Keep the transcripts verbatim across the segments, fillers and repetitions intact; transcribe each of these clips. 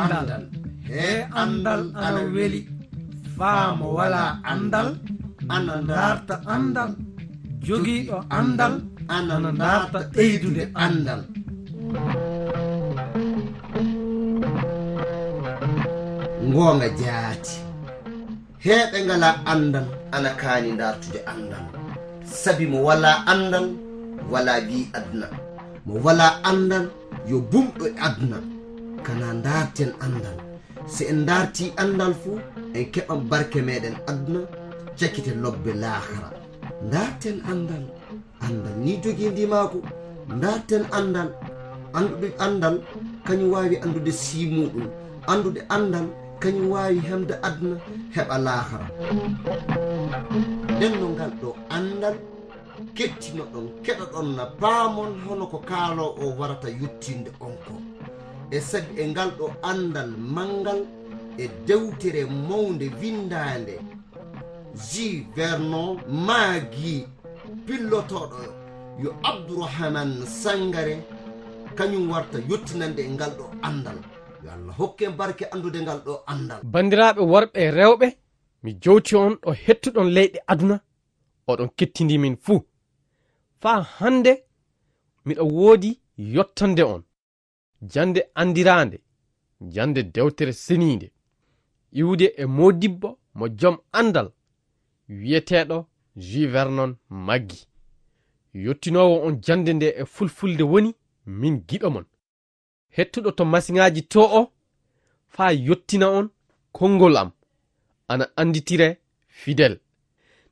Andal. He andal ana weli. Faa mo walaa andal, ana ndaarta andal. Jogiiɗo andal, ana ndaarta ɓeydude andal. Ngoonga jaati. Heɓe ngalaa andal, ana kaani ndaartude andal. Sabi mo walaa andal, walaa ɓii aduna. Mo walaa andal, yo bumɗo e aduna. Kana ndaarten andal. Si en ndaartii andal fu, en keɓan barke meɗen aduna, cakite lobbe laakara. Ndaarten andal. Andal ni jogii ndimaagu. Ndaarten andal. Anndude andal, kañum waawi anndude sii muuɗum. Anndude andal, kañum waawi hemde aduna, heɓa laakara. Nden no ngal ɗo andal, kettinoɗon, keɗoɗon na paamon hono ko kaaloowo o warata yottinde on ko. E sabi e ngal ɗo andal manngal e dewtere mawnde winndaande, Jules Vernon Maggi, pillotooɗo yo Abdourahmane Sangare, kañum warta yottinande e ngal ɗo andal. Yo Allah hokke en barke anndude ngal ɗo andal. Banndiraaɓe worɓe e rewɓe, mi jowti on ɗo hettuɗon leyɗe aduna, oɗon kettindi min fuu. Faa hannde miɗo woodi yottande on. Jannde anndiraande, jannde dewtere seniinde, iwde e moodibbo mo jom anndal, wiyeteeɗo Jules Vernon Maggi. Yottinoowo on jannde nde e fulfulde woni min giɗo mon. Hettuɗo to masiŋaaji to o, faa yottina on konngol am, ana annditire Fidel.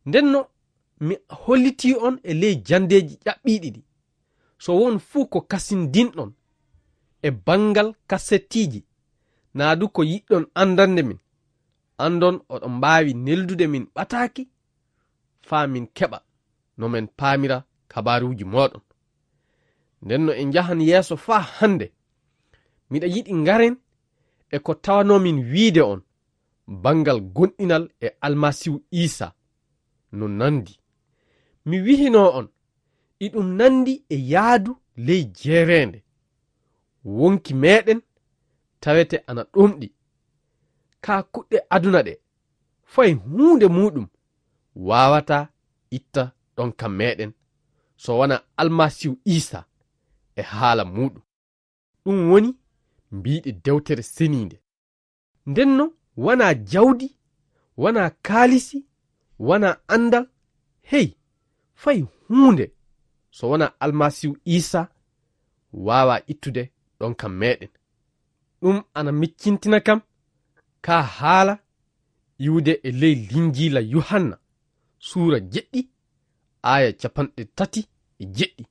Ndenno mi hollitii on e ley janndeeji ƴaɓɓiiɗi ɗi, so won fuu ko kasindinɗon e banngal kasettiiji, naa du ko yiɗɗon anndande min, anndon oɗon mbaawi neldude min ɓataaki, faa min keɓa no men paamira kabaaruuji mooɗon. Ndenno en njahan yeeso faa hannde. Miɗa yiɗi ngaren e ko tawanoo min wiide on banngal gonɗinal e Almasiihu Iisaa no nanndi. Mi wihinoo on, iɗum nanndi e yahdu ley jeereende. Wonki meɗen tawete ana ɗomɗi. Kaa kuɗɗe aduna ɗe, fay huunde muuɗum waawataa itta ɗonka meɗen, so wanaa Almasiihu Iisaa e haala muuɗum. Ɗum woni mbiiɗe dewtere seniinde. Ndenno wanaa jawdi, wanaa kaalisi, wanaa anndal, hey, fay huunde so wanaa Almasiihu Iisaa waawaa ittude ɗonka meɗen. Ɗum ana miccintina kam kaa haala iwde e ley Linjiila Yuhanna, suura jeɗɗi, aaya capanɗe tati e jeɗɗi.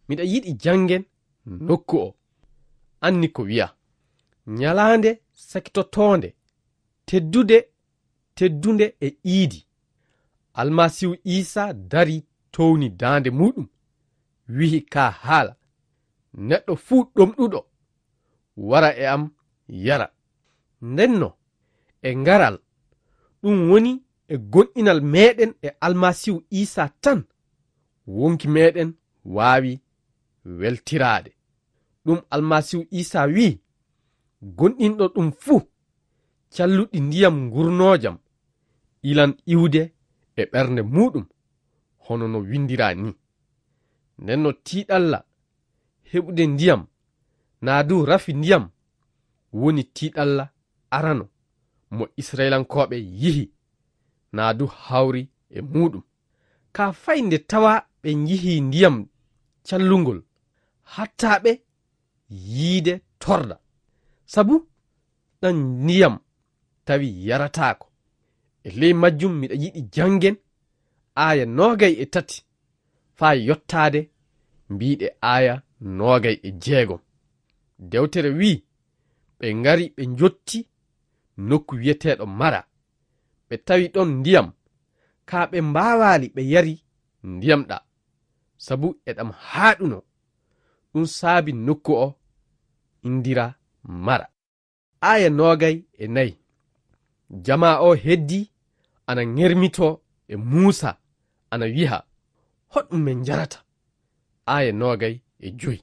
Miɗa yiɗi janngen nokku o. Anni ko wiya, ñalaande sakitotoonde, teddude, teddunde e iidi, Almasiihu Iisaa darii towni daande muuɗum, wi'i kaa haala, neɗɗo fuu ɗomɗuɗo, wara e am yara. Ndenno, e ngaral, ɗum woni e gonɗinal meɗen e Almasiihu Iisaa tan, wonki meɗen waawi weltiraade. Ɗum Almasiihu Iisaa wi'i, gonɗinɗo ɗum fuu, calluɗi ndiyam ngurnoojam ilan iwde e ɓernde muuɗum, hono no winndiraa nii. Ndenno tiiɗalla heɓude ndiyam, naa du rafi ndiyam, woni tiiɗalla arano mo Israyilankooɓe yihi, naa du hawri e muuɗum. Kaa fay nde tawaa ɓe njihii ndiyam callungol, hattaa ɓe yiide torra. Sabu ɗan ndiyam tawi yarataako. E ley majjum miɗa yiɗi janngen aaya noogay e tati faa yottaade mbiiɗe aaya noogay e jeegom. Dewtere wi'i, ɓe ngari ɓe njotti nokku wi'eteeɗo Mara. Ɓe tawi ɗon ndiyam, kaa ɓe mbaawaali ɓe yari ndiyam ɗaa, sabu eɗam haaɗunoo. Ɗum saabi nokku o inndiraa Mara. Aaya noogay e nayi. Jamaa o heddii ana ŋermitoo e Muusaa, ana wi'a, hoɗum men njarata? Aaya noogay e joy.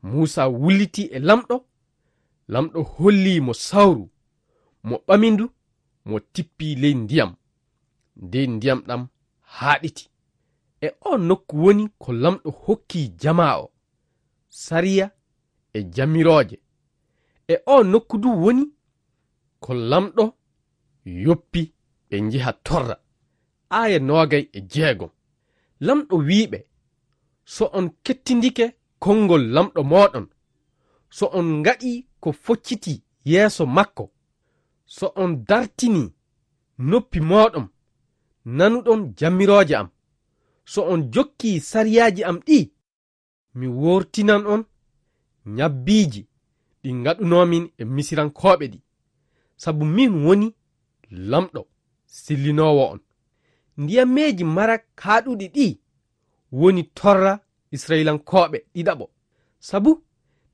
Muusaa wullitii e Laamɗo, Lamɗo hollii mo sawru, mo ɓami ndu, mo tippi ley ndiyam. Dey ndiyam ɗam haaɗiti. E oo nokku woni ko Lamɗo hokki jamaa o sariya e jamirooje. E oo nokku du woni ko Lamɗo yoppi ɓe njeha torra. Aaya noogay e jeegom. Lamɗo wi'i ɓe, "So on kettindike konngol Lamɗo mooɗon, so on ngaɗii ko focciti yeeso makko, so on dartinii noppi mooɗon, nanuɗon jamirooje am, so on jokkii sariyaaji am ɗi, mi wortinan on ñabbiiji ɗi ngaɗunoomin e Misirankooɓe ɗi, sabu min woni Lamɗo sellinoowo on." Ndiyameeji mara kaaɗuɗi ɗi woni torra Isra'ilankooɓe ɗiɗaɓo, sabu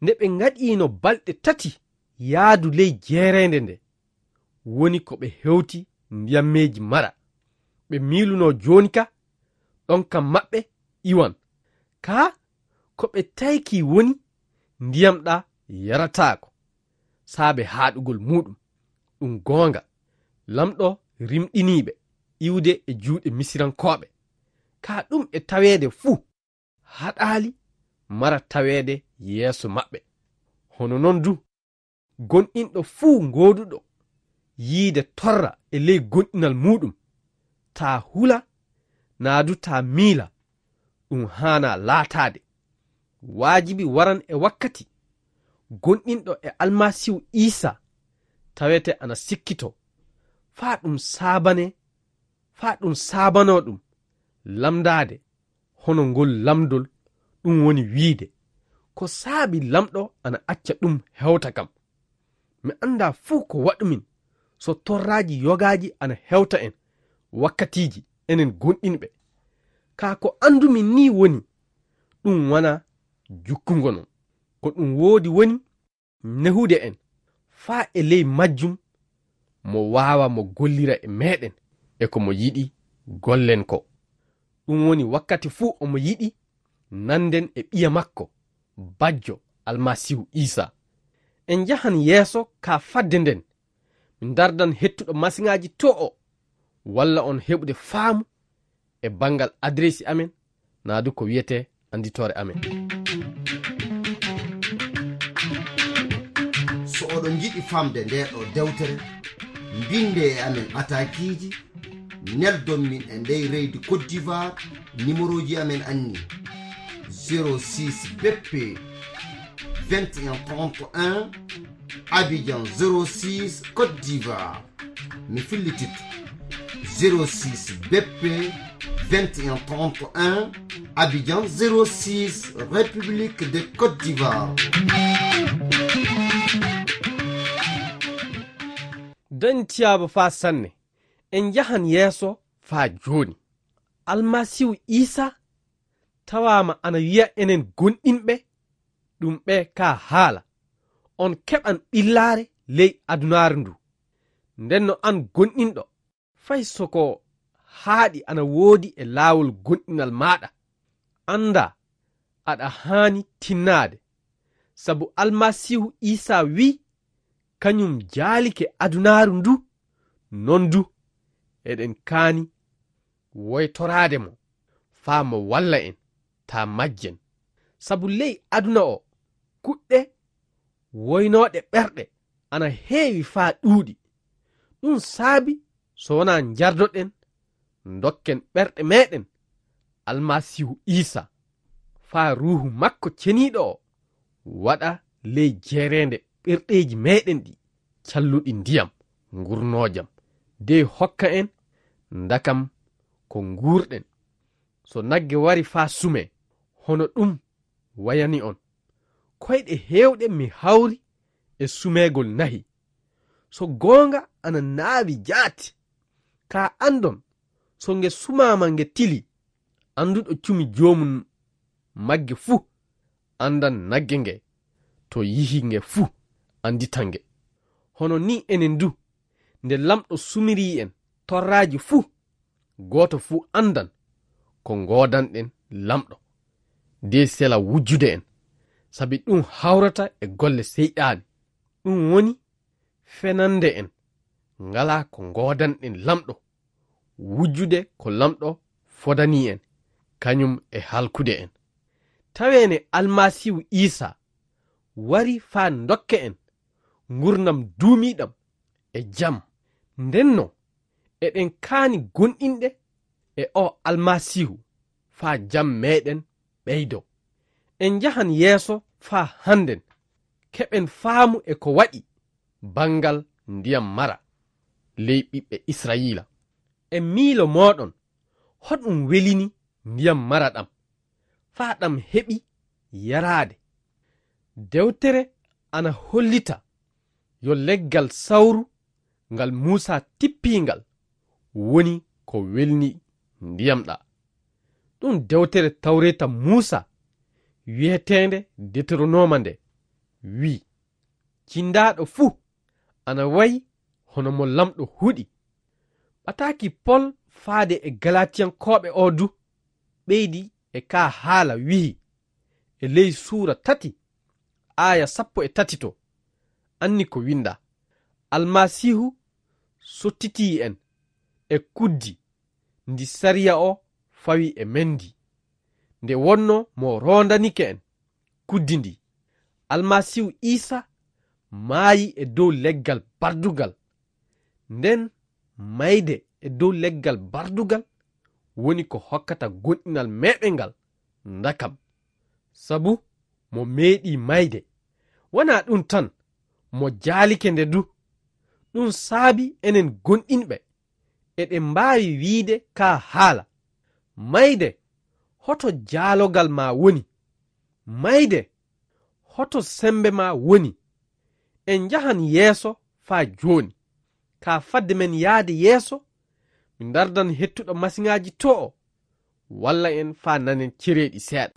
nde ɓe ngaɗiino balɗe tati yaadu ley jeereende nde, woni ko ɓe hewti ndiyammeeji mara. Ɓe miilunoo jooni ka ɗon kam maɓɓe iwan. Kaa ko ɓe tayki woni ndiyam ɗa yarataako, saabe haaɗugol muuɗum. Ɗum goonga, Lamɗo rimɗinii ɓe iwde e juuɗe Misirankooɓe. Kaa ɗum e taweede fuu, haɗaali mara taweede yeeso maɓɓe. Hono non du, gonɗinɗo fuu gooduɗo yiide torra e ley gonɗinal muuɗum, taa hula, naa du taa miila, ɗum haanaa laataade. Waajibi waran e wakkati, gonɗinɗo e Almasiihu Iisaa tawete ana sikkitoo, faa ɗum saabane, faa ɗum saabanoo ɗum lamndaade hono ngol lamndol, ɗum woni wiide, ko saabi Lamɗo ana acca ɗum hewta kam? Mi anndaa fuu ko waɗumin so torraaji yogaaji ana hewta en wakkatiiji, enen gonɗinɓe. Kaa ko anndumin nii woni, ɗum wanaa jukkungo non. Ko ɗum woodi woni nehude en faa e ley majjum, mo waawa mo gollira e meeɗen e ko mo yiɗi gollen ko. Ɗum woni wakkati fuu omo yiɗi nanden e ɓiya makko, bajjo Almasiihu Iisaa. En njahan yeeso ka fadde nden, mi ndardan hettuɗo masiŋaaji to o, walla on heɓude faamu e banngal adireesi amen, naa du ko wiyetee annditoore amen. So oɗon njiɗi famde ndee ɗoo dewtere, mbinde e amen ataakiiji, neldon min e ndey reydi Côte d'Ivoire, nimerooji amen anni: zéro six B P vingt et un trente et un, Abidjan zéro six, Côte d'Ivoire. Mi fillititto: zéro six B P vingt et un trente et un, Abidjan zéro six, République de Côte d'Ivoire. Dañtiyaaba faa sanne, en njahan yeeso faa jooni. Almasiihu Iisaa tawaama ana wiya enen gonɗinɓe ɗum ɓe ka haala, "On keɓan ɓillaare ley adunaaru ndu." Nden no an gonɗinɗo, fay so ko haaɗi ana woodi e laawol gonɗinal maaɗa, anndaa aɗa haani tinnaade, sabu Almasiihu Iisaa wi'i, kañum jaalike adunaaru ndu, non du eɗen kaani woytoraade mo, faa mo walla en, taa majjen. Sabu ley aduna o, kuɗɗe woynooɗe ɓerɗe ana heewi faa ɗuuɗi. Ɗum saabi so wonaa njardoɗen, ndokken ɓerɗe meeɗen Almasiihu Iisaa, faa Ruuhu makko Ceniiɗo o waɗa ley jeereende ɓerɗeeji meeɗen ɗi calluɗi ndiyam ngurnoojam, dey hokka en ndakam ko nguurɗen. So nagge wari faa sumee, hono ɗum wayani on? Koyɗe heewɗe mi hawri e sumeegol nahi. So goonga ana naawi jaati, kaa anndon so nge sumaama nge tilii. Annduɗo cumi joomum magge fuu anndan nagge nge, to yihi nge fuu annditan nge. Hono nii enen du, nde Lamɗo sumirii en torraaji fuu, gooto fuu anndan ko ngoodanɗen Lamɗo, dey sela wujjude en, sabi ɗum hawrata e golle Seyɗaani. Ɗum woni fenande en, ngalaa ko ngoodanɗen Laamɗo, wujjude ko Laamɗo fodanii en, kañum e halkude en. Tawee ne Almasiihu Iisaa wari faa ndokka en ngurnam duumiiɗam e jam. Ndennoo, eɗen kaani goonɗinde e oo Almasiihu faa jam meeɗen ɓeydoo. En njahan yeeso faa hannden keɓen faamu e ko waɗi banngal ndiyam mara ley ɓiɓɓe Israa'iila. E miilo mooɗon, hoɗum welini ndiyam mara ɗam, faa ɗam heɓi yaraade? Dewtere ana hollita yo leggal sawru ngal Muusaa tippii ngal woni ko welni ndiyam ɗaa. Ɗum dewtere Tawreeta Muusaa wiyeteende Deteronooma nde wii, "Cindaaɗo fuu ana wayi hono mo Laamɗo huɗi." Ɓataaki Pol faade e Galatiyankooɓe oo du ɓeydi e kaa haala wi'i, e ley suura tati, aaya sappo e tati to, anni ko winndaa, "Almasiihu sottitii en e kuddi ndi sariya o fawi e men ndi, nde wonnoo mo roondanike en kuddi ndi. Almasiihu Iisaa maayi e dow leggal bardugal. Nden mayde e dow leggal bardugal woni ko hokkata goonɗinal meeɗen ngal ndakam. Sabu mo meeɗii mayde, wanaa ɗum tan, mo jaalike nde du. Ɗum saabi enen goonɗinɓe, eɗen mbaawi wiide kaa haala, 'Mayde, hoto jaalogal maa woni? Mayde, hoto semmbe maa woni?' En njahan yeeso faa jooni. Kaa fadde men yaade yeeso, mi ndardan hettuɗo masiŋaaji to o, walla en faa nanen cereeɗi seeɗa.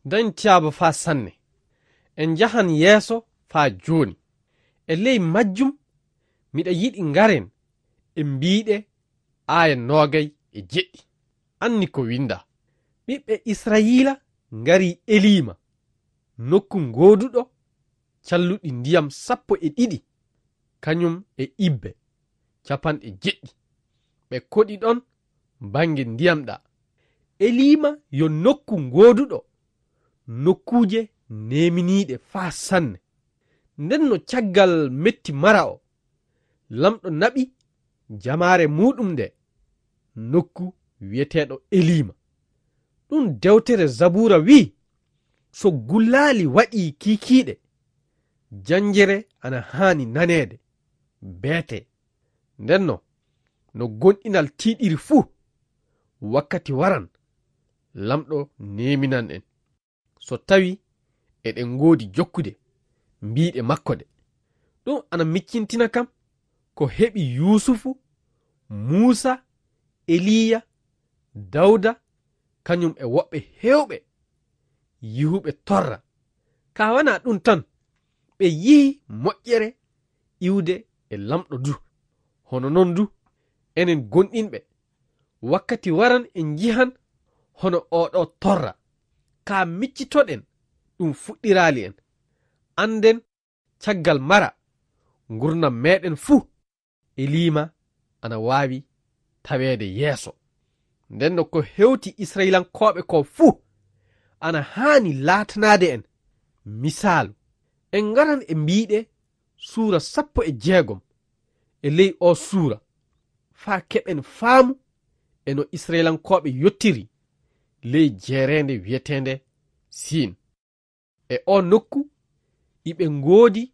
Dañ tiyaaba faa sanne. En njahan yeeso faa jooni. E ley majjum, miɗa yiɗi ngaren e mbiiɗe aaya noogay e jeɗɗi. Anni ko winndaa. Ɓiɓɓe Israayiila ngari Eliima, nokku ngooduɗo calluɗi ndiyam sappo e ɗiɗi, kañum e ibbe capanɗe jeɗɗi. Ɓe koɗi ɗon bannge ndiyam ɗaa. Eliima yo nokku ngooduɗo nokkuuje neeminiiɗe faa sanne. Nden no caggal metti mara o, Laamɗo naɓi jamaare muuɗum nde nokku wi'eteeɗo Eliima. Ɗum dewtere Zabuura wi'i, "So gullaali waɗii kiikiiɗe, janjere ana haani naneede, beetee. Ndenno, no goonɗinal tiiɗiri fuu, wakkati waran, Laamɗo neeminan en, so tawi eɗen ngoodi jokkude mbiiɗe makko ɗe." Ɗum ana miccintina kam ko heɓi Yuusufu, Muusa, Eliya, Dawda, kañum e woɓɓe heewɓe yihuɓe torra. Ka wana ɗum tan, ɓe yihi moƴƴere iwde e Laamɗo du. Hono noon du, enen gonɗinɓe, wakkati waran en njihan hono oo ɗoo torra. Ka miccitoɗen ɗum fuɗɗiraali en. Annden caggal mara, ngurndan meeɗen fuu e liima ana waawi taweede yeeso. Nden no ko hewti Israyilankooɓe ko fuu ana haani laatanaade en misaalu. En ngaran e mbiiɗe suura sappo e jeegom e ley oo suura, faa keɓen faamu e no Israyilankooɓe yottiri ley jeereende wiyeteende Siin. E oo nokku, iɓe ngoodi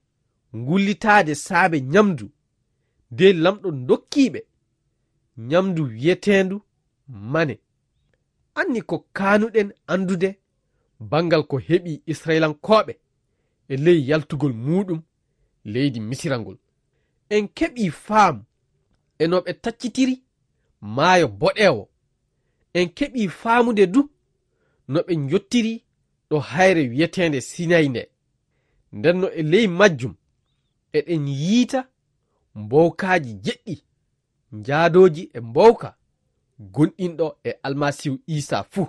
ngullitaade saabe ñamdu, de Laamɗo dokkiiɓe ñamdu wiyeteendu mane. Anni ko kaanuɗen anndude banngal ko heɓi Israyilankooɓe e ley yaltugol muuɗum leydi Misira ngol. En keɓii faamu e no ɓe taccitiri maayo boɗeewo. En keɓii faamude du no ɓe njottiri ɗo hayre wiyeteende Sinayi nde. Nden no e ley majjum, eɗen yiita mbowkaaji jeɗɗi, njaadooji e mbowka gonɗinɗo e Almasiihu Iisaa fuu.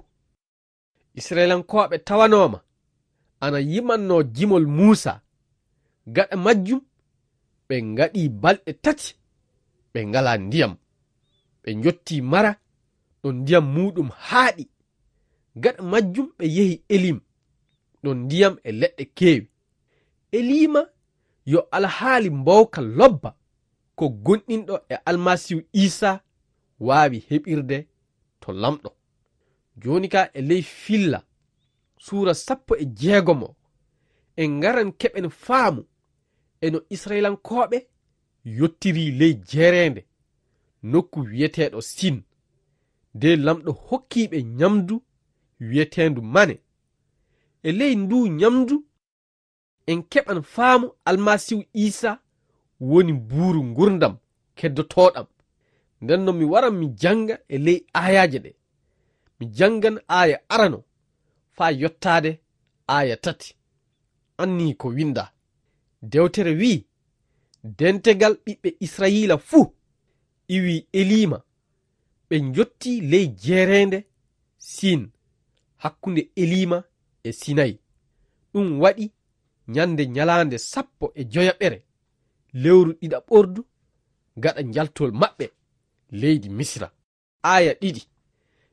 Israyilankooɓe tawanooma ana yimannoo jimol Muusaa. Gaɗa majjum, ɓe ngaɗii balɗe tati ɓe ngalaa ndiyam. Ɓe njottii Mara, ɗo ndiyam muuɗum haaɗi. Gaɗa majjum, ɓe yehi Elim, ɗo ndiyam e leɗɗe keewi. Eliima yo alhaali mbowka lobba ko gonɗinɗo e Almasiihu Iisaa waawi heɓirde to Laamɗo. Jooni ka e ley Filla, suura sappo e jeegom o, en ngaran keɓen faamu e no Israyilankooɓe yottiri ley jeereende, nokku wiyeteeɗo Siin. De Laamɗo hokkii ɓe ñamdu wiyeteendu mane. E ley nduu ñamdu, en keɓan faamu Almasiihu Iisaa woni buuru ngurndan keddotooɗan. Nden no mi waran mi jannga e ley aayaaje ɗe. Mi janngan aaya arano faa yottaade aaya tati. Anni ko winndaa. Dewtere wi'i, dentegal ɓiɓɓe Israyiila fuu iwi Eliima, ɓe njottii ley jeereende Siin, hakkunde Eliima e Sinayi. Ɗum waɗi ñande ñalaande sappo e joyaɓere lewru ɗiɗaɓordu gaɗa njaltol maɓɓe leydi Misira. Aaya ɗiɗi.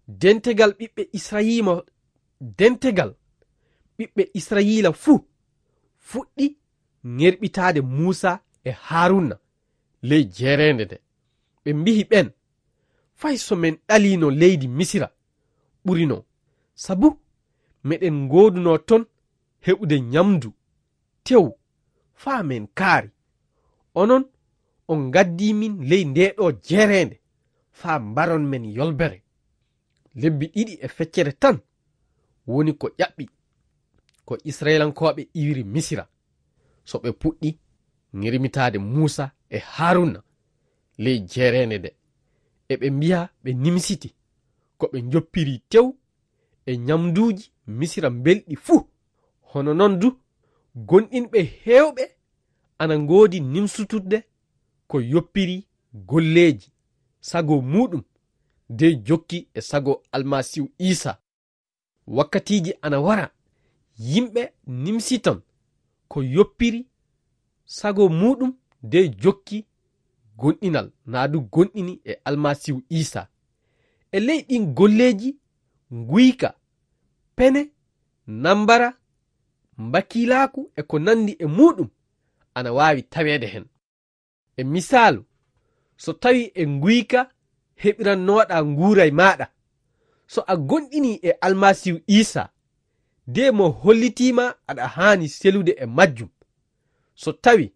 Dentegal ɓiɓɓe Israyiima, dentegal ɓiɓɓe Israyiila fuu fuɗɗi ŋerɓitaade Muusaa e Haaruuna ley jeereende nde. Ɓe mbi'i ɓeen, fay so men ɗaliino leydi Misira ɓurinoo, sabu meɗen ngoodunoo toon heɓude ñamdu tew faa men kaari. Onon, on ngaddii min ley ndee ɗoo jeereende faa mbaron men yolbere. Lebbi ɗiɗi e feccere tan woni ko ƴaɓɓi ko Israyilankooɓe iwiri Misira, so ɓe puɗɗi ŋermitaade Muusaa e Haaruuna ley jeereende nde. Eɓe mbi'a ɓe nimsiti ko ɓe njoppiri tew e ñamduuji Misira mbelɗi fuu. Hono noon du, gonɗinɓe heewɓe ana ngoodi nimsutudde ko yoppiri golleeji sago muuɗum dey jokki e sago Almasiihu Iisaa. Wakkatiiji ana wara, yimɓe nimsitan ko yoppiri sago muuɗum dey jokki gonɗinal, naa du gonɗini e Almasiihu Iisaa. E ley ɗin golleeji, nguyka, pene, nambara, mbakiilaaku e ko nanndi e muuɗum ana waawi taweede hen. E misaalu, so tawii e nguyka heɓirannoɗaa nguuray maaɗa, so a gonɗinii e Almasiihu Iisaa, de mo hollitii ma aɗa haani selude e majjum, so tawii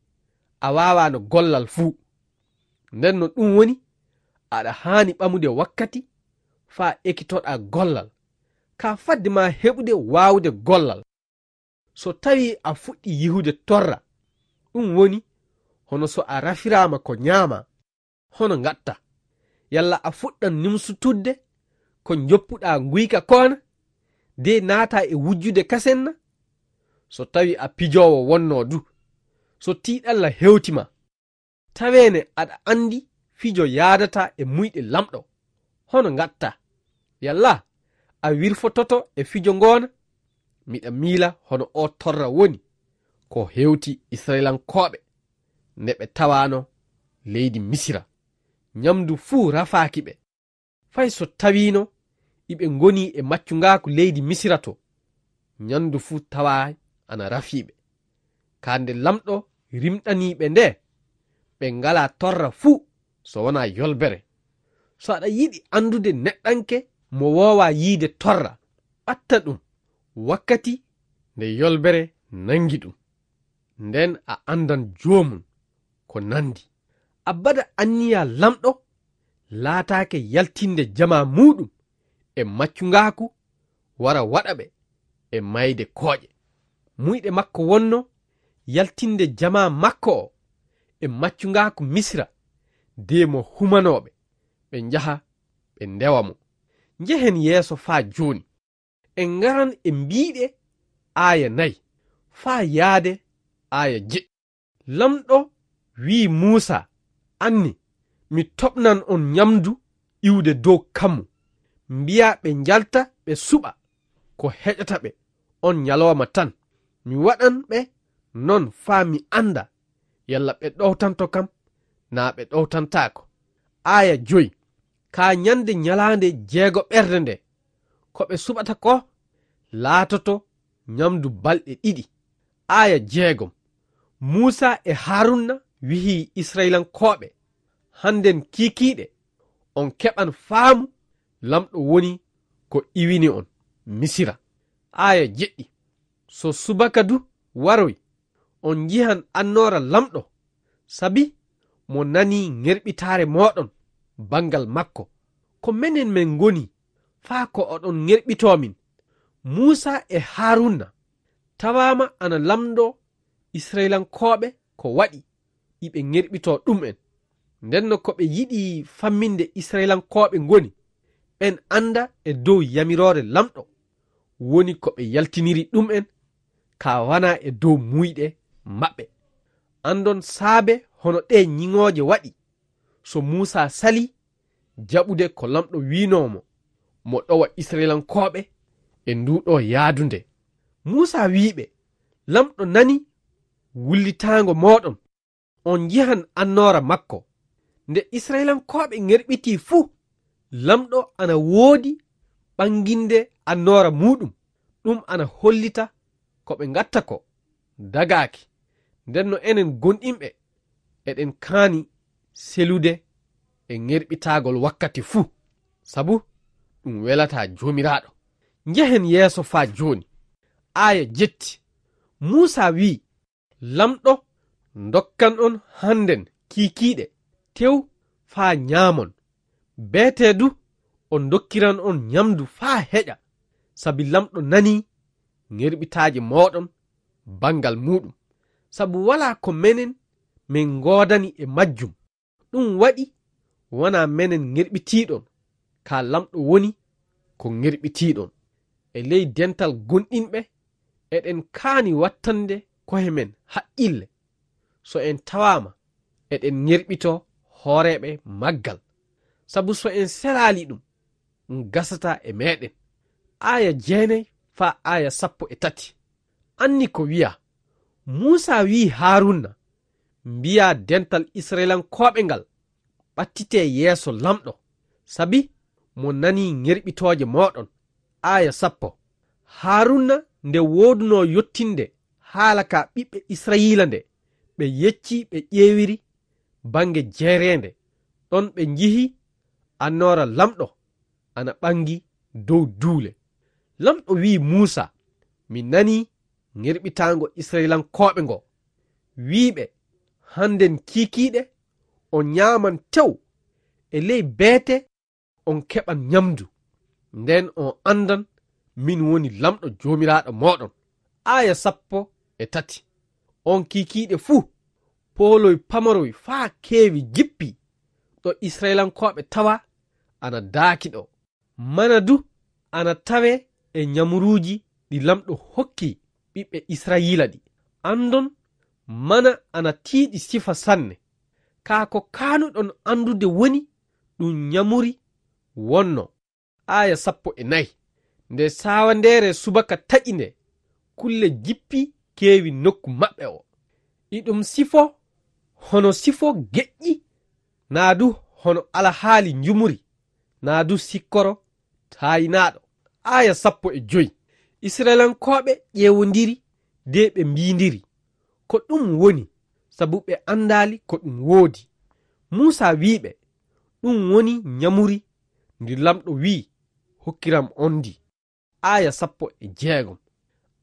a waawaano gollal fuu. Nden no ɗum woni, aɗa haani ɓamude wakkati faa ekitoɗaa gollal, ka fadde maa heɓude waawude gollal. So tawii a fuɗɗii yihude torra, ɗum woni hono so a rafiraama ko ñaamaa, hono ngatta. Yalla a fuɗɗan nimsutudde ko njoppuɗaa nguyka koona, de naataa e wujjude kasen na? So tawi a pijoowo wonnoo du, so tiiɗalla hewti ma, taweene aɗa anndi fijo yaadataa e muyɗe lamɗo, hono ngatta? Yalla a wirfototo e fijo ngoona? Miɗa miila hono o torra woni ko hewti Isra'ilankooɓe nde ɓe tawaano leydi Misira. Nyamdu fuu rafaaki ɓe. Fay so tawiino iɓe ngoni e maccungaaku leydi Misira to, nyamdu fuu tawaay ana rafii ɓe. Kaa nde lamɗo rimɗanii ɓe nde, ɓe ngalaa torra fuu so wonaa yolbere. So aɗa yiɗi anndude neɗɗanke mo woowaa yiide torra, ɓatta ɗum wakkati nde yolbere nanngi ɗum. Nden a anndan joomum ko nandi. Abbada anniya lamɗo laataake yaltinde jamaa muuɗum e maccungaaku wara waɗa ɓe e mayde kooƴe. Muyɗe makko wonno yaltinde jamaa makko o e maccungaaku Misira, de mo humanooɓe, ɓe njaha ɓe ndewa mo. Njehen yeeso faa jooni. En ngaran e mbiiɗe aaya nayi faa yaade aaya jeɗɗi. Lamɗo wi'i Muusa, "Anni, mi toɓnan on nyamdu iwde dow kammu. Mbiyaa ɓe njalta ɓe suɓa ko heƴata ɓe on nyalooma tan. Mi waɗan ɓe non faa mi annda yalla ɓe ɗowtanto kam naa ɓe ɗowtantaako." Aaya joyi. Kaa nyande nyalaande jeegoɓerde nde, ko ɓe suɓata ko laatoto nyamdu balɗe ɗiɗi. Aaya jeegom. Muusa e Haruna wi'i Isra'ilankooɓe, "Hannden kiikiiɗe, on keɓan faamu lamɗo woni ko iwini on Misira." Aaya jeɗɗi. So subaka du waroy, on njihan annoora lamɗo, sabi mo nanii ŋerɓitaare mooɗon banngal makko. Ko menen men ngoni faa ko oɗon ŋerɓitoo min? Muusa e Haruna tawaama ana lamndoo Isra'ilankooɓe ko waɗi iɓe ŋerɓitoo ɗum'en. Ndenno ko ɓe yiɗi famminde Isra'ilankooɓe ngoni, ɓen annda e dow yamiroore lamɗo woni ko ɓe yaltiniri ɗum'en, kaa wanaa e dow muuyɗe maɓɓe. Anndon saabe hono ɗee ñiŋooje waɗi. So Muusa salii jaɓude ko lamɗo wiinoo mo, mo ɗowa Isra'ilankooɓe e nduu ɗoo yaadu nde. Muusa wi'i ɓe, "Lamɗo nanii wullitaango mooɗon, on njihan annoora makko." Nde Isra'ilankooɓe ŋerɓitii fuu, lamɗo ana woodi ɓannginde annoora muuɗum, ɗum ana hollita ko ɓe ngatta ko dagaaki. Ndenno enen gonɗinɓe, eɗen kaani selude e ŋerɓitaagol wakkati fuu, sabu ɗum welataa Joomiraaɗo. Njehen yeeso faa jooni. Aaya jetti. Muusa wi'i, "Lamɗo ndokkan on hannden kiikiiɗe tew faa ñaamon. Beetee du o ndokkiran on ñamdu faa heƴa, sabi lamɗo nanii ŋerɓitaaje mooɗon banngal muuɗum. Sabu walaa ko menen men ngoodani e majjum. Ɗum waɗi wanaa menen ŋerɓitiiɗon, kaa lamɗo woni ko ŋerɓitiiɗon." E ley dental gonɗinɓe, eɗen kaani wattande ko'e men haqqille so en tawaama eɗen ŋerɓitoo hooreeɓe maggal, sabu so en selaali ɗum, ɗum gasataa e meɗen. Aaya jeenay faa aaya sappo e tati. Anni ko wi'a, Muusa wi'i Haruna, "Mbiyaa dental Isra'ilankooɓe ngal, ɓattitee yeeso lamɗo, sabi mo nanii ŋerɓitooje mooɗon." Aaya sappo. Haruna nde woodunoo yottinde haala ka ɓiɓɓe Isra'iila nde, ɓe yecci ɓe ƴeewiri bannge jeereende, ɗon ɓe njihi annoora lamɗo ana ɓangi dow duule. Lamɗo wi'i Muusa, "Mi nanii ŋerɓitaango Isra'ilankooɓe ngo. Wi'i ɓe, hannden kiikiiɗe on ñaaman tew e ley beete on keɓan ñamdu. Nden on anndan min woni lamɗo Joomiraaɗo mooɗon." Aaya sappo e tati. On kiikiiɗe fuu, pooloy pamaroy faa keewi jippi ɗo Isra'ilankooɓe tawa ana daaki ɗo. Mana du ana tawee e ñamuruuji ɗi Laamɗo hokki ɓiɓɓe Israa'iila ɗi. Anndon, mana ana tiiɗi sifa sanne. Kaa ko kaanuɗon anndude woni ɗum ñamuri wonnoo. Aaya sappo e nayi. Nde sawandeere subaka taƴi nde, kulle jippi keewi nokku maɓɓe o. Iɗum sifo hono sifo geƴƴi, naa du hono alahaali njumuri, naa du sikkoro taayinaaɗo. Aaya sappo e joy. Isra'ilankooɓe ƴeewondiri de ɓe mbiindiri, "Ko ɗum woni?" Sabu ɓe anndaali ko ɗum woodi. Muusa wi'i ɓe, "Ɗum woni ñamuri ndi Laamɗo wi'i hokkiram on ndi." Aaya sappo e jeegom.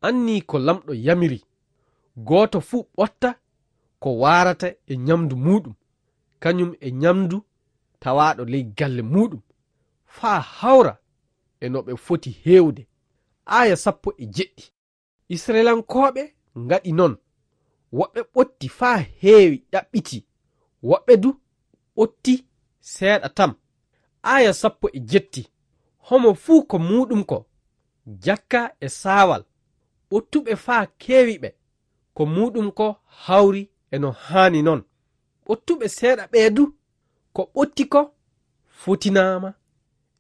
Annii ko Laamɗo yamiri, gooto fuu ɓotta ko waarata e ñamdu muuɗum, kañum e ñamdu tawaaɗo ley galle muuɗum, faa hawra e no ɓe foti heewde. Aaya sappo e jeɗɗi. Isra'ilankooɓe ngaɗi noon. Woɓɓe ɓotti faa heewi ɗaɓɓiti, woɓɓe du ɓotti seeɗa tan. Aaya sappo e jetti. Homo fuu ko muuɗum ko, jakka e saawal. Ɓottuɓe faa keewi ɓe, ko muuɗum ko hawri e no haani noon. Ɓottuɓe seeɗa ɓee du, ko ɓotti ko fotinaama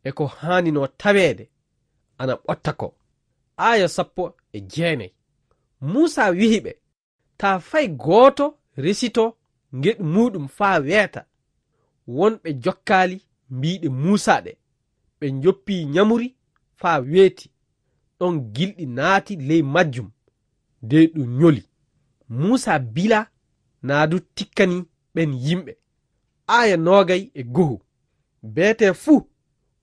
e ko haanino taweede ana ɓotta ko. Aaya sappo e jeenay. Muusa wi'i ɓe, "Taa fay gooto resito ngeɗu muuɗum faa weeta." Wonɓe jokkaali mbiiɗe Muusa ɗe, ɓe njoppi ñamuri faa weeti. Ɗon gilɗi naati ley majjum, de ɗum ñoli. Muusa bilaa naa du tikkani ɓen yimɓe. Aaya noogay e go'o. Beetee fuu,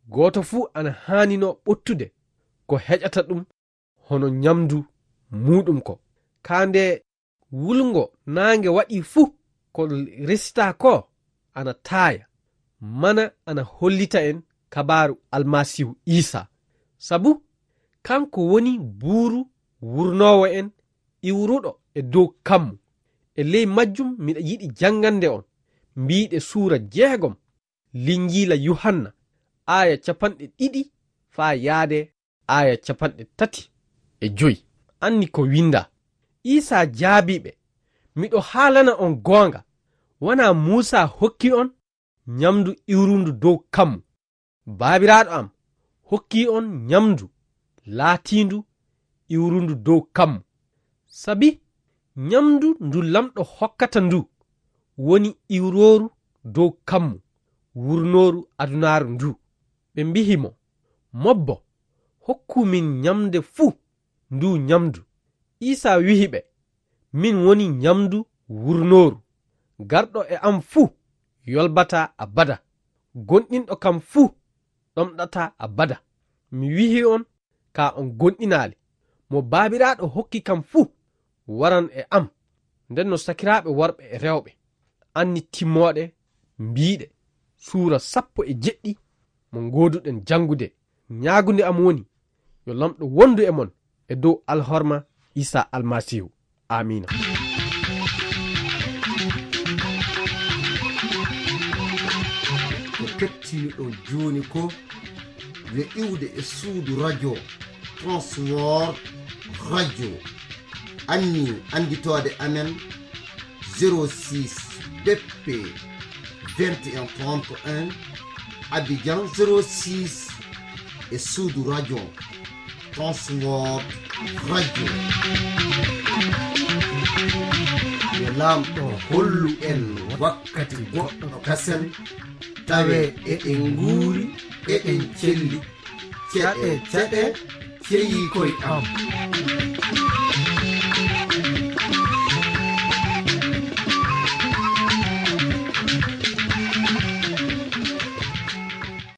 gooto fuu ana haaninoo ɓottude ko heƴata ɗum hono ñamdu muuɗum ko. Kaa nde wulngo naange waɗii fuu, ko resitaa ko ana taaya, mana ana hollita en kabaaru Almasiihu Iisaa. Sabu kanko woni buuru wurnoowo en iwruɗo e dow kammu. E ley majjum miɗa yiɗi janngande on mbiiɗe suura jeegom Linjiila Yuhanna, aaya capanɗe ɗiɗi faa yaade aaya capanɗe tati e joy. Anni ko winndaa. Iisaa jaabii ɓe, "Miɗo haalana on goonga, wanaa Muusa hokki on ñamdu iwrundu dow kammu. Baabiraaɗo am hokkii on ñamndu laatiindu iwrundu dow kammu. Sabi ñamndu ndu Laamɗo hokkata ndu woni iwrooru dow kammu, wurnooru adunaaru ndu." Ɓe mbi'i mo, "Moobbo, hokku min ñamde fuu ndu ñamndu." Iisaa wi'i ɓe, "Min woni ñamndu wurnooru. Garɗo e am fuu yolbataa abada. Gonɗinɗo kam fuu ɗomɗataa abada. Mi wi'i on ka on gonɗinaali. Mo Baabiraaɗo hokki kam fuu waran e am." Nden no sakiraaɓe worɓe e rewɓe, anni timmooɗe mbiiɗe suura sappo e jeɗɗi mo ngooduɗen janngude. Ñaagunde am woni, yo Laamɗo wondu e mon e dow alhorma Iisaa Almasiihu. Aamiina. Ko kettiniɗon jooni ko yo iwde e suudu radio Transworld Radio. Anni annditoode amen, zéro six B P vingt et un trente et un, Abidjan zéro six, e suudu radio Transworld Radio. Yo Laamɗo hollu en wakkati goɗɗo kasen, tawe eɗen nguuri, eɗen celli. Ceɗe, ceɗe, ceyi koy am.